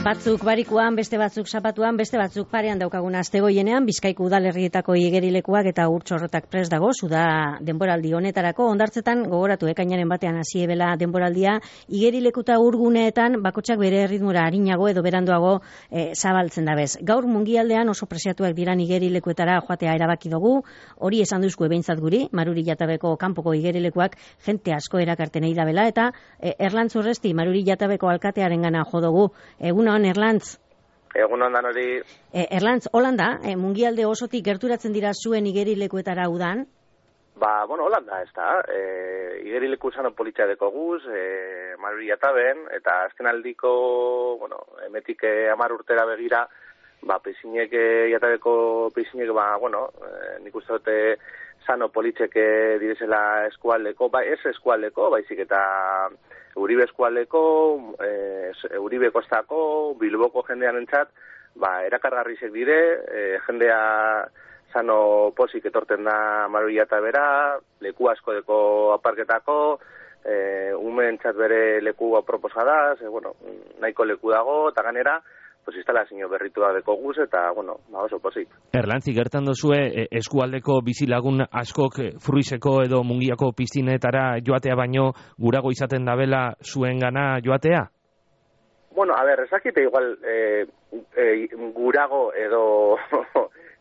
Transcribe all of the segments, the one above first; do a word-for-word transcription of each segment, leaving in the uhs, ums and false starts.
Batzuk barikuan, beste batzuk zapatuan, beste batzuk parean daukagun astegoienean, Bizkaiko udalerrietako igerilekuak eta urtsorrotak prest dago, zuda denboraldi honetarako, ondartzetan gogoratu ekainaren batean hasi ebela denboraldia, igerilekuta urguneetan bakotsak bere erritmura arinago edo beranduago e, zabaltzen dabez. Gaur mungialdean oso presiatuak diran igerilekuetara joatea erabaki dugu, hori esan duzku ebehintzat guri, Maruri Jatabeko kanpoko igerilekuak jente asko erakarten ei dabela, eta e, Erlantz Urresti, Maruri Jatabeko alkatearen gana jo dugu. Egun hon, Erlantz. Egun ondan hori. E, Erlantz, Holanda, e, mungialde osotik gerturatzen dira zuen igerilekuetara udan? Ba, bueno, Holanda, ez da. E, igerileku zano politxa deko guz, e, Maruri Jataben, eta azken aldiko, bueno, emetik e, amar urtera begira, ba, peizinek, Jatabeko peizinek, ba, bueno, e, nik uste dute zano politxek direzela eskualdeko, ba, ez eskualdeko, baizik eta Uribe eskualdeko, e, Uribe kostako, Bilboko jendean entzat, ba, erakargarrizek dire, e, jendea zano posik etorten da Maruri Jatabera, leku asko deko aparketako, e, ume entzat bere leku aproposadaz, e, bueno, nahiko leku dago, eta ganera, pues instalazio berritua deko guz, eta, bueno, ba oso posik. Erlantzi, gertan dozue, eskualdeko bizilagun askok Fruizeko edo Mungiako piztinetara joatea baino gurago izaten dabela zuen gana joatea? Bueno, a ver, ezakite igual e, e, gurago edo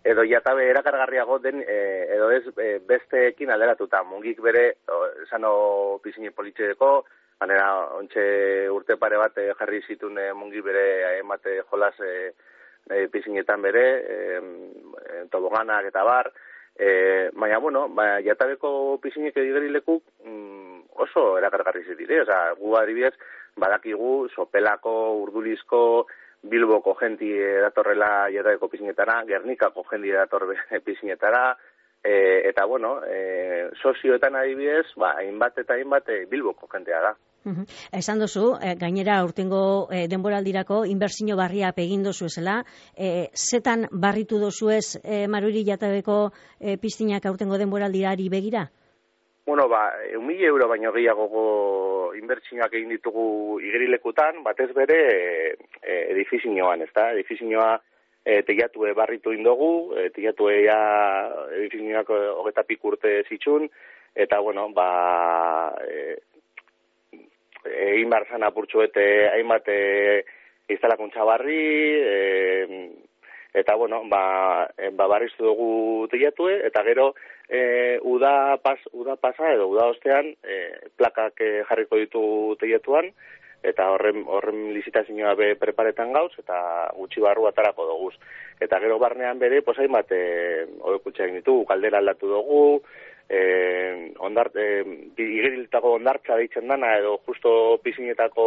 edo Jatabe erakargarriago den e, edo ez e, besteekin alderatuta. Mungik bere, esano pizine politxeko, manera, ontxe urte pare bat eh, jarri zitun eh, mungi bere emate jolas eh, eh, pizinetan bere, eh, toboganak eta bar, eh, baina, bueno, ba, Jatabeko pizinek edigerilekuk mm, oso erakargarri zitire, oza, gu adibidez, badakigu, Sopelako, Urdulizko, Bilboko jenti datorrela Jatabeko pizinetara, Gernikako jenti dator pizinetara, e, eta, bueno, e, sozioetan adibidez, ba, hainbat eta hainbat e, Bilboko jentea da. Uhum. Esan duzu, eh, gainera urtengo eh, denboraldirako inbertsio barria egin dozu esela, eh, zetan barritu dozu ez eh, Maruri Jatabeko eh, piztinak aurtengo denboraldirari begira? Bueno, ba, un mila euro baino gehiago inbertsioak egin ditugu igerilekutan, batez bere eh, edifizioan, ez da? Edifizioa eh, teiatue barritu indogu, eh, teiatue ja edifizioak hogeta pik urte zitxun, eta, bueno, ba... Eh, egin behar zan apurtxuete hainbat e, instalakuntza barri, e, eta, bueno, ba, e, ba barriztu dugu teiatue, eta gero e, uda, pas, uda pasa edo uda ostean e, plakak e, jarriko ditu teiatuan, eta horren, horren lizitazioa be preparetan gauz, eta gutxi barru atarako duguz. Eta gero barnean bere, pues hainbat e, hobekutxa egin ditugu, kaldera aldatu dugu, Eh, ondart, eh, igeriltako ondartza deitzen dana, edo justo pizinetako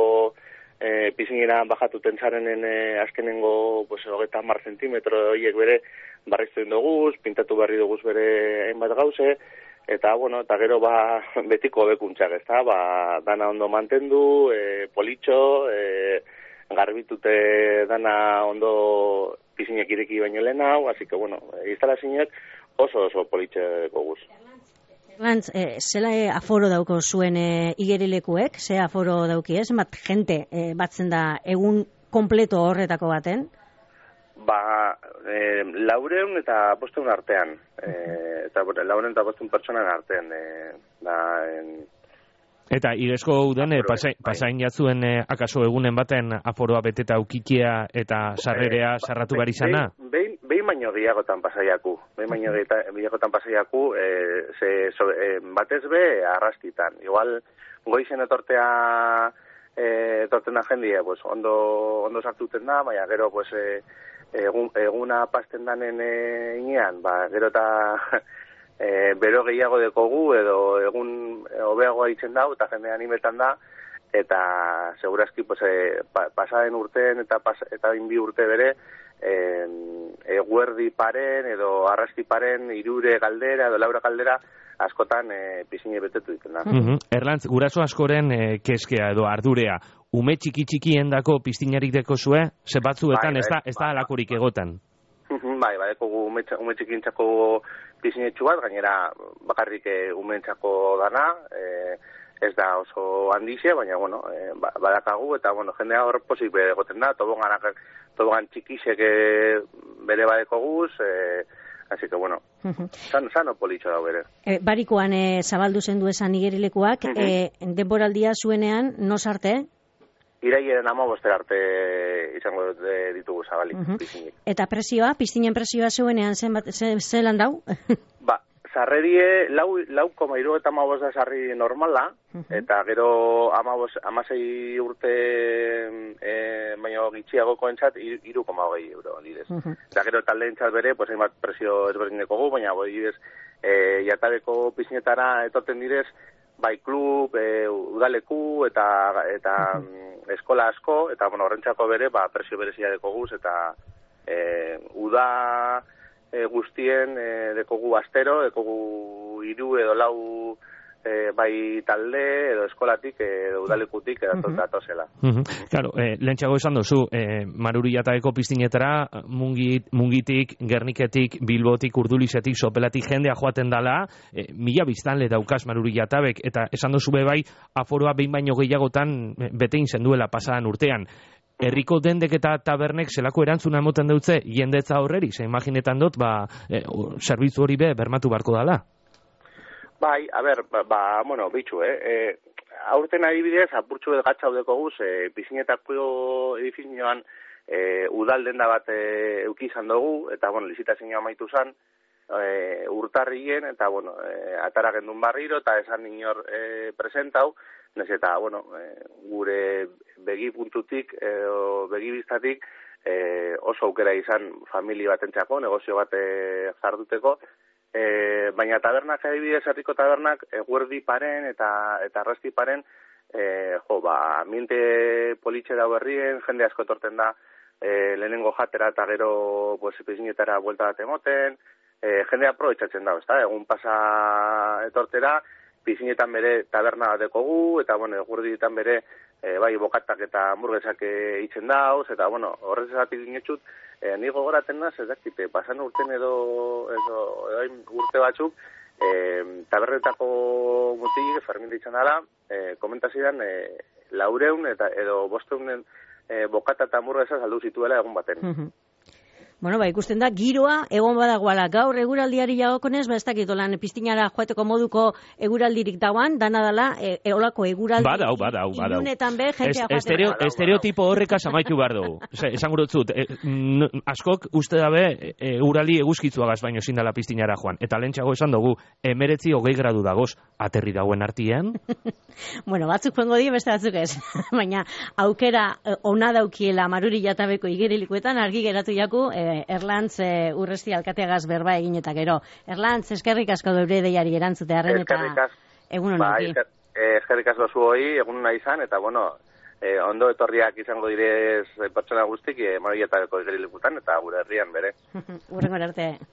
eh, pizinera bajatuten zarenen eh, azkenengo pues, hogeita hamar zentimetro horiek bere barriztu duguz, pintatu berri duguz bere hainbat gauze, eta, bueno, eta gero ba, betiko bekuntzak, ez da, ba, dana ondo mantendu, eh, politxo, eh, garbitute dana ondo pizinek ireki baino lehen hau, así que, bueno, instalazioak oso oso politxeko guz. Erlantz, eh, zela eh, aforo dauko zuen eh, igerilekuek, ze aforo dauki ez, bat jente eh, batzen da egun kompleto horretako baten? Ba, eh, laureun eta bosteun artean, eh, eta laureun eta bosteun pertsonan artean, eh, da, en, eta igesko uden eh, pasain, pasain jatzuen eh, akaso egunen baten aforoa beteta ukikia eta sarrerea sarratu behar izana? Behin behin baino gehiagotan pasaiaku, behin baino gehiagotan pasaiaku, e, ze, so, e, batez be arrastitan. Igual, goizen etortea, e, etorten da jendia, pues, ondo, ondo sartuten da, baina gero, pues, e, egun, eguna pasten danen e, inean, ba, gero eta e, bero gehiago dekogu, edo egun hobeagoa itzen dau, eta jende animetan da, eta segurazki, pues, e, pa, pasaden urteen eta, pas, eta inbi urte bere, eguerdi paren edo arrasti paren irure galdera edo laura galdera askotan e, pizine betetu ditzen da. Mm-hmm. Erlantz, guraso askoren e, keskea edo ardurea, ume txiki txikien dako piztinarik deko zue, ze batzuetan bai, ez da, ez da alakorik egotan. Bai, bai, eko ume, ume txikintzako pizinetxu bat, gainera bakarrik e, umeentzako dana, e, ez da oso handixe, baina, bueno, e, badakagu, eta, bueno, jendea hor posik egoten da, toboganak, tobogan txikisek e, bere badeko guz, e, así que, bueno, san, sano politxo da bere. E, barikoan e, zabaldu zendu esan igerilekuak, uh-huh. e, denboraldia zuenean, no sarte? Iraiaren amabostera arte izango ditugu zabalik. Uh-huh. Eta presioa, piztinen presioa zuenean zelan dau? Ba, sarrerie lau, lau koma iru eta amabos da sarri normala, uh-huh. eta gero amabos, amasei urte e, baino gitxiagoko entzat, iru koma hogei euro, didez. Uh-huh. Eta gero talde entzat bere, pues, hainbat presio ezberdineko gu, baina boi didez, e, jatabeko pizinetara etorten direz, bai klub, e, udaleku eta eta uh-huh. eskola asko, eta bueno, horrentzako bere, ba, presio berezia deko guz, eta e, uda e, guztien e, dekogu astero, dekogu hiru edo lau e, bai talde, edo eskolatik, edo udalekutik, edo uh-huh. datozela. Uh-huh. Claro, eh, lehentxago esan dozu, eh, Maruriataeko piztinetara, mungit, mungitik, Gerniketik, Bilbotik, Urdulizetik, Sopelatik jendea joaten dala, eh, mila biztanle daukaz Maruriatabek, eta esan dozu bebai, aforoa behin baino gehiagotan betein zenduela pasadan urtean. Herriko dendek eta tabernek zelako erantzuna emoten dutze, jendetza horreri, ze imaginetan dut, ba, eh, zerbitzu hori be, bermatu barko dala. Bai, a ber, ba, ba bueno, bitxu, eh? E, aurten adibidez, apurtxu edo gatza udeko guz, e, pizinetako edifizioan e, udal denda bat e, eukizan dugu, eta, bueno, lizitazioa amaitu zan, e, urtarrien, eta, bueno, e, atara gendun barriro, eta esan inor e, presentau, nes eta, bueno, e, gure begi puntutik, edo begi biztatik, e, oso aukera izan familia batentzako, negozio bat e, jarduteko, E, baina tabernak adibidez, herriko tabernak, eguerdi paren eta eta arrasti paren, e, jo, ba, ambiente politxe da berrien, jende asko etorten da, e, lehenengo jatera eta gero, pues, pizinetara buelta bat emoten, e, jende aprobetxatzen da, ezta? Egun pasa etortera, pizinetan bere taberna bat dekogu, eta, bueno, eguerdietan bere, e, bai, bokatak eta hamburguesak itzen dauz, eta, bueno, horrez esatik dinetxut, E, ni gogoraten naz, ez dakite, pasan urten edo, edo, edo urte batzuk, e, tabernetako mutik, Fermin ditzen dara, e, komentazidan, e, laureun eta edo bosteunen e, bokata eta hamburguesa saldu zituela egun baten. Uh-huh. Bueno, ba, ikusten da, giroa egon badagoala. Gaur eguraldiari jagokonez, ba, ez dakit, olan piztinara joateko moduko eguraldirik dauan, dana dala, e, eolako eguraldi. Badau, badau, badau. Ilunetan be, jentea joaten. Estereo, estereotipo horrekaz amaitu behar dugu. Esan gurutzut, e, askok uste dabe eguraldi eguzkitzuagaz baino zindala piztinara joan. Eta lehentxago esan dugu, emeretzi hogei gradu dagoz, aterri dagoen artien. Bueno, batzuk joango die, beste batzuk ez. Baina, aukera ona daukiela Maruriatabeko igerilekuetan, argi geratu jaku, e, Erlantz e, urresti alkateagaz berba egin eta gero. Erlantz, eskerrik asko dobre deiari erantzute harren eta egun honekin. Ba, eskerrik asko zuhoi, egun hona izan, eta bueno, e, ondo etorriak izango direz pertsona guztik, e, Maruriatabeko igerilekutan, eta gure herrian bere. Urrengo arte.